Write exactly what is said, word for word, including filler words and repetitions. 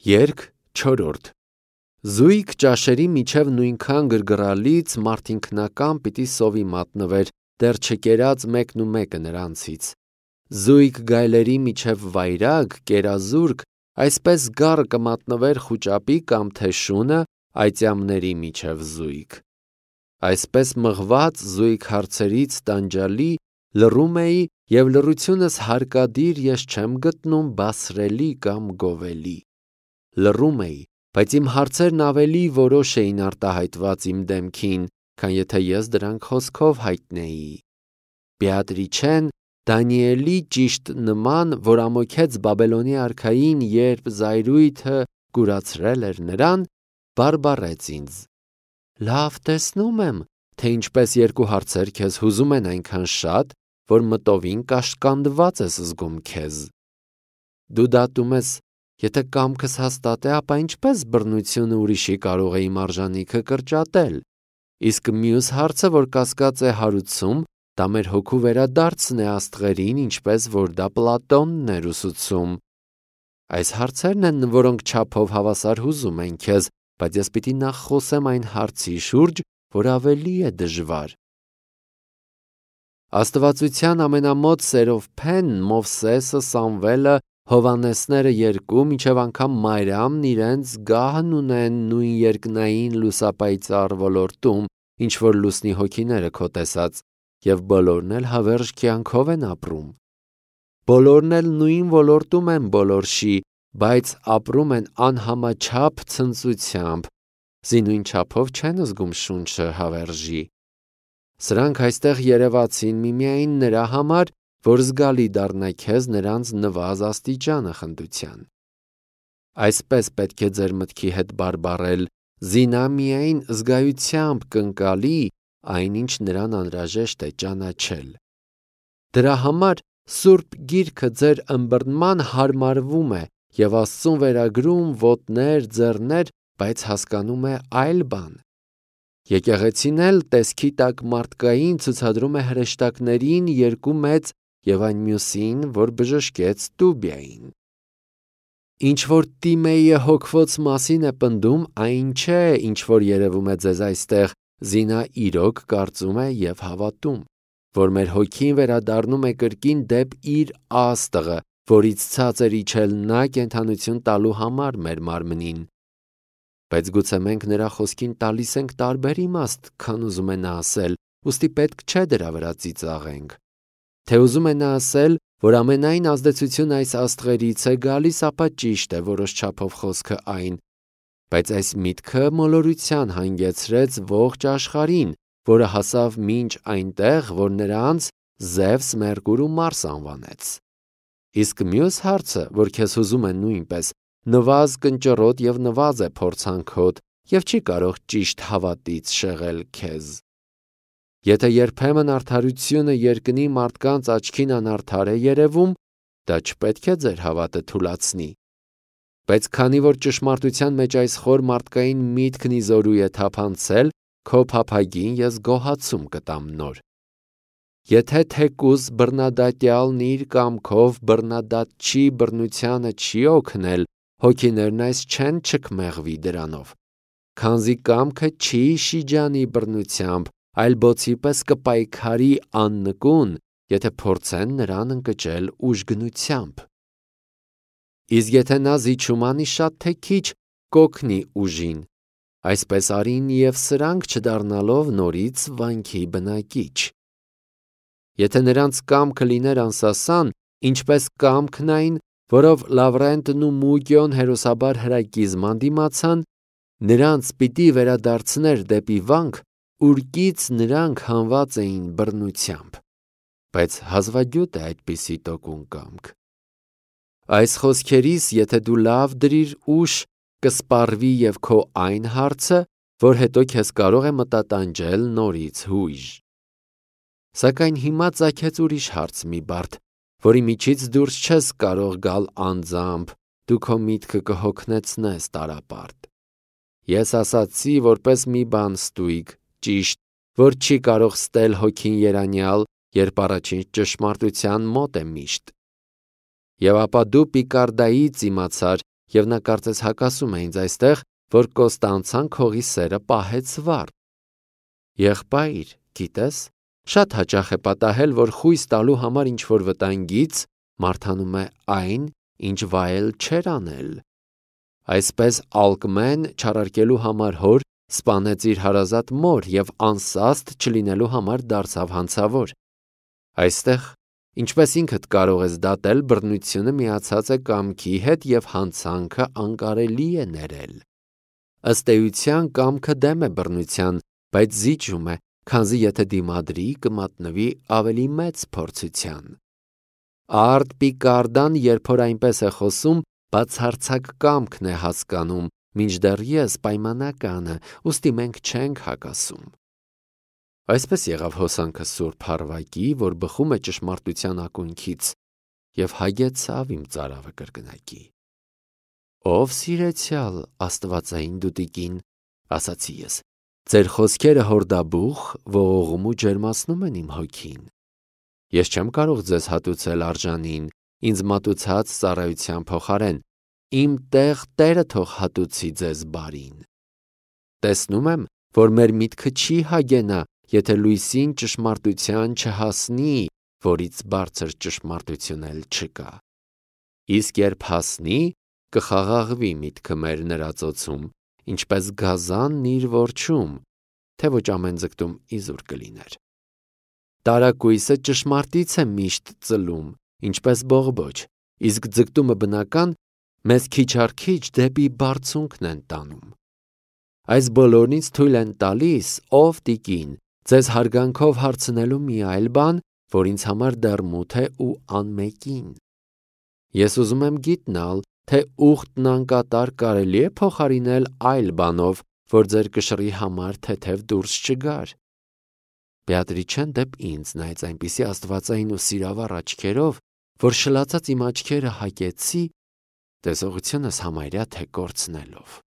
Երգ չորրորդ. Զույգ ճաշերի միջև նույնքան գրգռալից մարդինքնական պիտի սովի մատնվեր, դեռ չկերած մեկն ու մեկը նրանցից։ Զույգ գայլերի միջև վայրագ, կերազուրկ, այսպես գառը կմատնվեր խուճապի կամ թե շունը այծյամների միջև զույգ։ Այսպես մղված զույգ հարցերից տանջալի լռում էի և լռությունս հարկադիր ես չեմ գտնում բասրելի կամ գովելի։ Լռում էի, բայց իմ հարցերն ավելի որոշ էին արտահայտված իմ դեմքին, քան եթե ես դրանք խոսքով հայտնեի։ Բեատրիչեն Դանիելի ճիշտ նման, որ ամոքեց Բաբելոնի արքային, երբ զայրույթը կուրացրել էր նրան, բարբառեց ինձ. «Լավ տեսնում եմ, թե ինչպես երկու հարցեր քեզ հուզում են այնքան շատ, որ մտովին կաշկանդված ես զգում քեզ։ Դու դատում ես, եթե կամքս հաստատ է, ապա ինչպես բռնությունը ուրիշի կարող է իմ արժանիքը կրճատել, իսկ մյուս հարցը, որ կասկած է հարուցում, դա մեր հոգու վերադարձն է աստղերին, ինչպես որ դա Պլատոնն էր ուսուցում։ Այս հարցերն են, որոնք չափով հավասար հուզում են քեզ, բայց ես պիտի նախ խոսեմ այն հարցի շուրջ, որ ավելի է դժվար։ Աստվածության ամենամոտ սերով փեն Մովսեսը, Սամվելը, Հովանեսները երկու, մինչև անգամ Մարիամն իրենց գահն ունեն նույն երկնային լուսապայծառ ոլորտում, ինչ որ լուսնի հոգիները քո տեսած, և բոլորն էլ հավերժ կյանքով են ապրում։ Բոլորն էլ նույն ոլորտում են բոլորշի, բայց ապրում են անհամաչափ ցնծությամբ, զինույն չափով չեն զգում շունչը հավերժի։ Սրանք այստեղ երևացին միմիայն նրա համար, որ զգալի դառնա քեզ նրանց նվազ աստիճանը խնդության։ Այսպես պետք է ձեր մտքի հետ բարբառել, զինա միայն զգայությամբ կընկալի այն, ինչ նրան անհրաժեշտ է ճանաչել։ Դրա համար Սուրբ Գիրքը ձեր ըմբռնման հարմարվում է և Աստծուն վերագրում ոտներ, ձեռներ, բայց հասկանում է այլ բան։ Եկեղեցին էլ տեսքի տակ մարդկային ցուցադրում է հրեշտակներին երկու մեծ և այն մյուսին, որ բժշկեց Տուբիային։ Ինչ որ Տիմեյը հոգվոց մասին է պնդում, այն չէ, ինչ որ երևում է ձեզ այստեղ, զինա իրոք կարծում է և հավատում, որ մեր հոգին վերադառնում է կրկին դեպ իր աստղը, որից ցածր իջել նա կենդանություն տալու համար մեր մարմնին։ Բայց գուցե մենք նրա խոսքին տալիս ենք տարբեր իմաստ, քան ուզում է նա ասել, ուստի պետք չէ դրա վրա ծիծաղենք։ Թե ուզում է նա ասել, որ ամենայն ազդեցություն այս աստղերից է գալիս, ապա ճիշտ է որոշ չափով խոսքը այն, բայց այս միտքը մոլորության հանգեցրեց ողջ աշխարհին, որը հասավ մինչ այնտեղ, որ նրանց Զևս, Մերկուր ու Մարս անվանեց։ Իսկ մյուս հարցը, որ քեզ հուզում է նույնպես, նվազ կնճռոտ և նվազ է փորձանքոտ և չի կարող ճիշտ հավատից շեղել քեզ։ Եթե երբեմն արդարությունը երկնի մարդկանց աչքին անարդար է երևում, դա չպետք է ձեր հավատը թուլացնի։ Բայց քանի որ ճշմարտության մեջ այս խոր մարդկային միտքն իզորու է թափանցել, քո փափագին ես գոհացում կտամ նոր։ Եթե թեկուզ բռնադատյալն իր կամքով բռնադատչի բռնությանը չի օգնել, հոգիներն այս չեն չքմեղվի դրանով, քանզի կամքը չի շիջանի բռնությամբ, այլ բոցի պես կպայքարի աննկուն, եթե փորձեն նրան ընկճել ուժգնությամբ։ Իսկ եթե նա զիջում անի շատ թե քիչ, կօգնի ուժին, այսպես արին և սրանք չդառնալով նորից վանքի բնակիչ։ Եթե նրանց կամքը լիներ անսասան, ինչպես կամքն այն, որով Լավրենտն ու Մուգիոն հերոսաբար հրակիզման դիմացան, նրանց պիտի վերադարձներ դեպի վանք, ուրկից նրանք հանված էին բռնությամբ, բայց հազվագյուտ է այդպիսի տոկուն կամք։ Այս խոսքերիս, եթե դու լավ դրիր ուշ, կսպառվի և քո այն հարցը, որ հետո քեզ կարող է մտատանջել նորից հույժ։ Սակայն հիմա ծագեց ուրիշ հարց մի բարդ, որի միջից դուրս չես կարող գալ անձամբ, դու քո միտքը կհոգնեցնես տարապարտ։ Ես ասացի որպես մի բան ստույգ, ճիշտ, որ չի կարող ստել հոգին երանյալ, երբ առաջին ճշմարտության մոտ է միշտ։ Եվ ապա դու Պիկարդայից իմացար, և նա կարծես հակասում է ինձ այստեղ, որ Կոստանցան քողի սերը պահեց վառ։ Եղբայր, գիտես, շատ հաճախ է պատահել, որ խույս տալու համար ինչ-որ վտանգից մարդանում է այն, ինչ վայել չէր անել։ Այսպես Ալկմեն չարարկելու համար հոր սպանեց իր հարազատ մոր և անսաստ չլինելու համար դարձավ հանցավոր։ Այստեղ, ինչպես ինքդ կարող ես դատել, բռնությունը միացած է կամքի հետ և հանցանքը անկարելի է ներել։ Ըստ էության կամքը դեմ է բռնության, բայց զիջում է, քանզի եթե դիմադրի, կմատնվի ավելի մեծ փորձության։ Արդ Պիկարդան, երբ որ այնպես է խոսում, բացարձակ կամքն է հասկանում, մինչդեռ ես պայմանականը, ուստի մենք չենք հակասում։ Այսպես եղավ հոսանքը Սուրբ Հարվակի, որ բխում է ճշմարտության ակունքից, և հագեցավ իմ ծարավը կրկնակի։ Ով սիրեցյալ աստվածային դուտիկին, ասացի ես, ձեր խոսքերը հորդաբուխ ողողում ու ջերմացնում են իմ հոգին։ Ես չեմ կարող ձեզ հատուցել արժանին, ինձ մատուցած ծառայության փոխարեն, իմ տեղ Տերը թող հատուցի ձեզ բարին։ Տեսնում եմ, որ մեր միտքը չի հագենա, եթե լույսին ճշմարտության չհասնի, որից բարձր ճշմարտություն էլ չկա։ Իսկ երբ հասնի, կխաղաղվի միտքը մեր նրա ծոցում, ինչպես գազանն իր որջում, թե ոչ ամեն ձգտում իզուր կլիներ։ Տարակույսը ճշմարտից է միշտ ծլում, ինչպես բողբոջ, իսկ ձգտումը բնական մեզ քիչ առ քիչ դեպի բարձունքն են տանում։ Այս բոլորն ինձ թույլ են տալիս, ով տիկին, ձեզ հարգանքով հարցնելու մի այլ բան, որ ինձ համար դեռ մութ է ու անմեկին։ Ես ուզում եմ գիտնալ, թե ուխտն անկատար կարելի է փոխարինել այլ բանով, որ ձեր կշռի համար թեթև դուրս չգար։ Բեատրիչեն դեպ ինձ նայեց այնպիսի աստվածային ու սիրավառ աչքերով, որ շլացած իմ աչքերը հագեցի, տեսողությունս համարյա թե կորցնելով։